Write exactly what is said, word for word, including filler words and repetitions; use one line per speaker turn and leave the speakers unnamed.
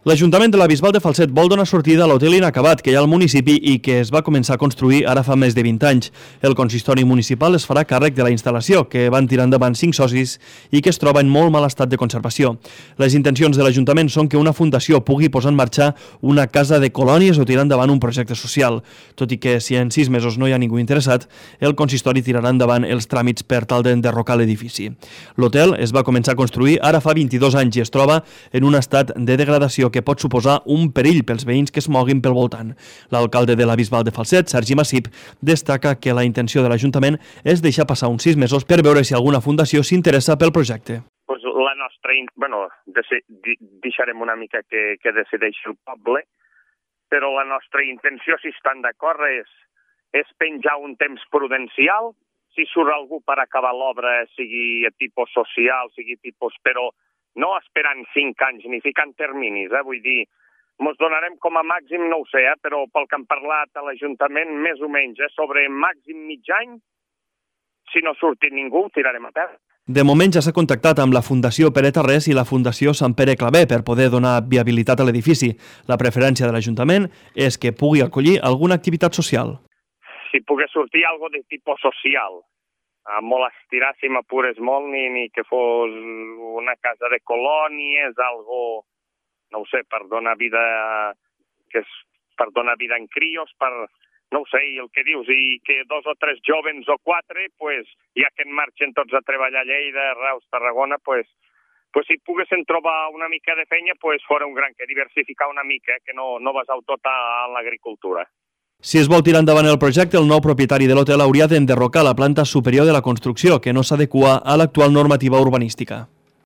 L'Ajuntament de la Bisbal de Falset vol donar sortida a l'hotel inacabat que hi ha al municipi i que es va començar a construir ara fa més de vint anys. El consistori municipal es farà càrrec de la instal·lació, que van tirar endavant cinc socis i que es troba en molt mal estat de conservació. Les intencions de l'Ajuntament són que una fundació pugui posar en marxa una casa de colònies o tirar endavant un projecte social. Tot i que si en sis mesos no hi ha ningú interessat, el consistori tirarà endavant els tràmits per tal d'enderrocar l'edifici. L'hotel es va començar a construir ara fa vint-i-dos anys i es troba en un estat de degradació que pot suposar un perill pels veïns que es moguin pel voltant. L'alcalde de la Bisbal de Falset, Sergi Massip, destaca que la intenció de l'Ajuntament és deixar passar uns sis mesos per veure si alguna fundació s'interessa pel projecte.
Pues la nostra, bueno, deixarem una mica que, que decideixi el poble, però la nostra intenció, si estan d'acord, és, és penjar un temps prudencial, si surt algú per acabar l'obra, sigui a tipus social, sigui tipus... però no esperant cinc anys ni ficant terminis, eh? Vull dir, ens donarem com a màxim, no ho sé, eh? Però pel que han parlat a l'Ajuntament, més o menys, eh? Sobre màxim mig any, si no surti ningú, ho tirarem a terra.
De moment ja s'ha contactat amb la Fundació Pere Tarrés i la Fundació Sant Pere Claver per poder donar viabilitat a l'edifici. La preferència de l'Ajuntament és que pugui acollir alguna activitat social.
Si pogués sortir alguna de tipus social, a molt estirar, si m'apures molt, ni, ni que fos una casa de colònies, algo, no ho sé, per donar vida, que és per donar vida en crios, per, no ho sé, i el que dius, i que dos o tres jovens o quatre, pues, ja que en marxen tots a treballar a Lleida, Reus, Tarragona, pues, pues si poguessin trobar una mica de feina, pues fora un gran que diversificar una mica, eh, que no, no basau tot a l'agricultura.
Si es vol tirar endavant el projecte, el nou propietari de l'hotel hauria d'enderrocar la planta superior de la construcció, que no s'adequa a l'actual normativa urbanística.